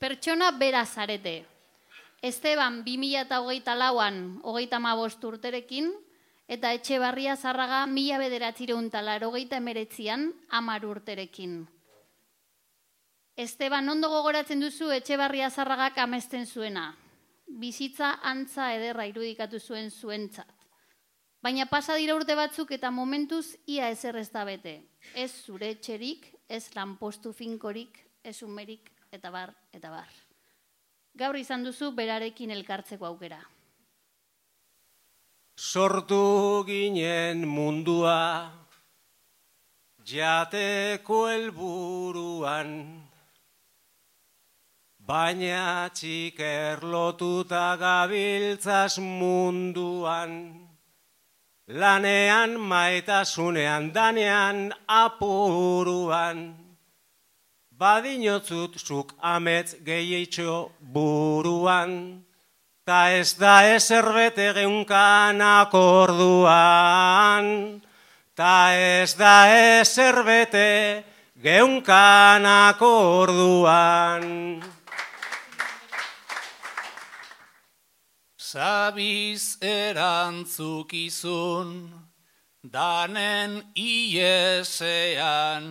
pertsona bera zarete. Esteban 2024an 35 urterekin, eta Etxebarria Zarraga 1989an 10 urterekin. Esteban, ondo gogoratzen duzu Etxebarria Zarragak amesten zuena. Bizitza antza ederra irudikatu zuen zuentzat. Baina pasa dira urte batzuk eta momentuz ia ezer ez da bete. Ez zure etxerik, ez lanpostu finkorik, ez umerik, eta bar, eta bar. Gaur izan duzu berarekin elkartzeko aukera. Sortu ginen mundua, jateko helburuan, baina txiker lotuta gabiltzaz munduan, lanean maitasunean danean apuruan, badinotzut zuk amets gehietxo buruan, ta ez da ezer bete geunkanak orduan, ta ez da ezer bete geunkanak orduan. Zabiz erantzukizun, danen iesean,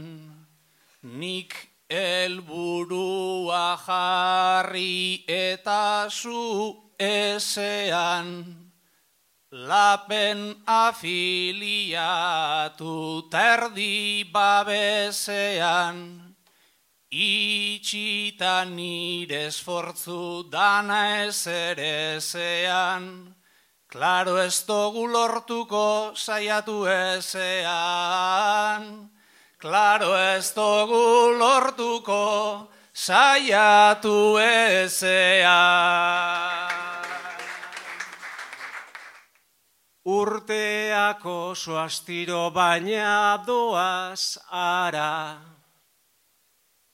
nik helburua jarri eta zu esean, lapen afiliatu terdi babesean, itxita nire esfortzu dana ezerezean, klaro ez dugu lortuko saiatu ezean, klaro ez dugu lortuko saiatu ezean. Urteak oso astiro baina doaz ara,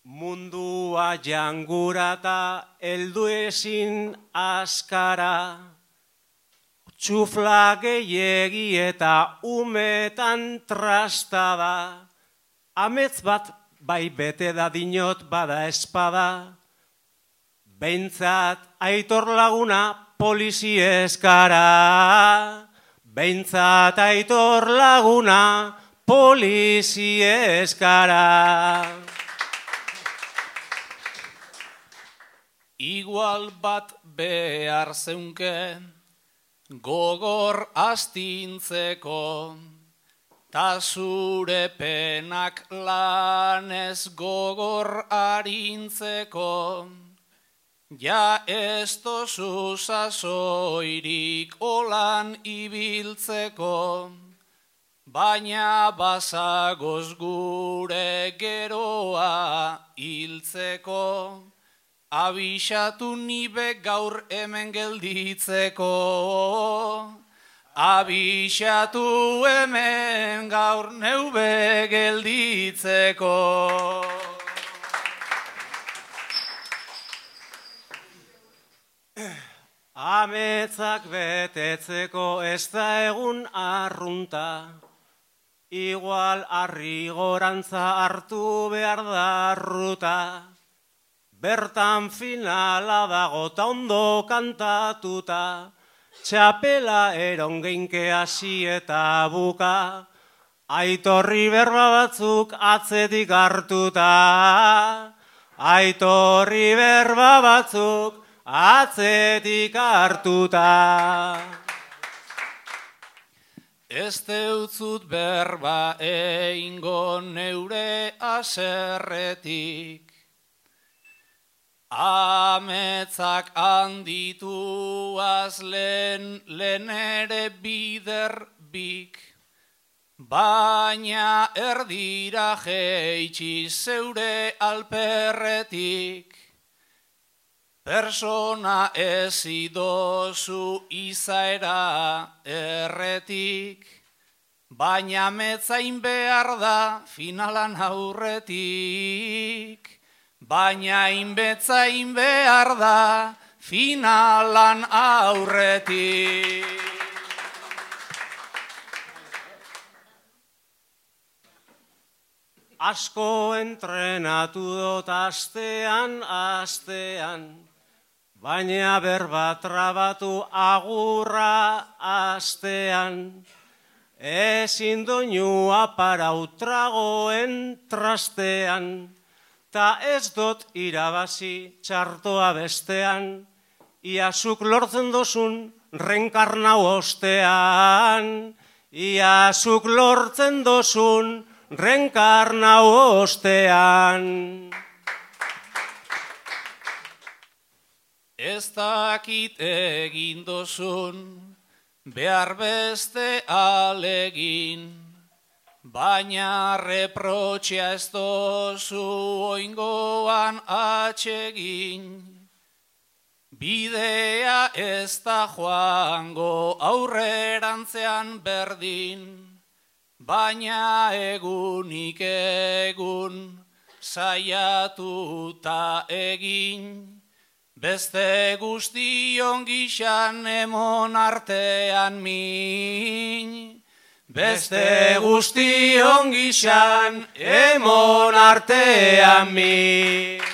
mundua jangurata heldu ezin askara, txufla gehiegi eta umetan trastada, amets bat bai bete da dinot bada espada, behintzat Aitor laguna polizieskara, behintzat Aitor laguna polizieskara. Igual bat behar zeunke, gogor astintzeko, ta zure penak lanez gogor arintzeko, ja ez tozu sasoirik olan ibiltzeko, baina bazagoz gure geroa hiltzeko, abixatu nibe gaur hemen gelditzeko, abixatu hemen gaur neube gelditzeko. Ametzak betetzeko ez da egun arrunta, igual harri gorantza hartu behar da ruta, bertan finala dago ta ondo kantatuta, txapela erongeinke hasi eta buka, Aitorri berba batzuk atzetik hartuta, Aitorri berba batzuk atzetik hartuta. Ez deutzut berba eingo neure aserretik, ametzak handituaz lehen ere biderbik, baina erdira jeitsi zeure alperretik, persona ez idozu izaera erretik, baina ametzain behar da finalan aurretik, baina inbetzain behar da finalan aurretik. asko entrenatu dut astean, baina berba trabatu agurra astean. Ezin doinua parautragoen trastean, ta ez dut irabazi txartoa bestean, iazuk lortzen dozun renkarnau ostean, iazuk lortzen dozun renkarnau ostean. Ez dakit egin dozun, behar beste alegin, baina reprotxea ez dozu oingoan atsegin. Bidea ez da joango aurrerantzean berdin, baina egunik egun saiatuta egin. Beste guztion gixan emon artean min. Beste guztion gixan emon artean min.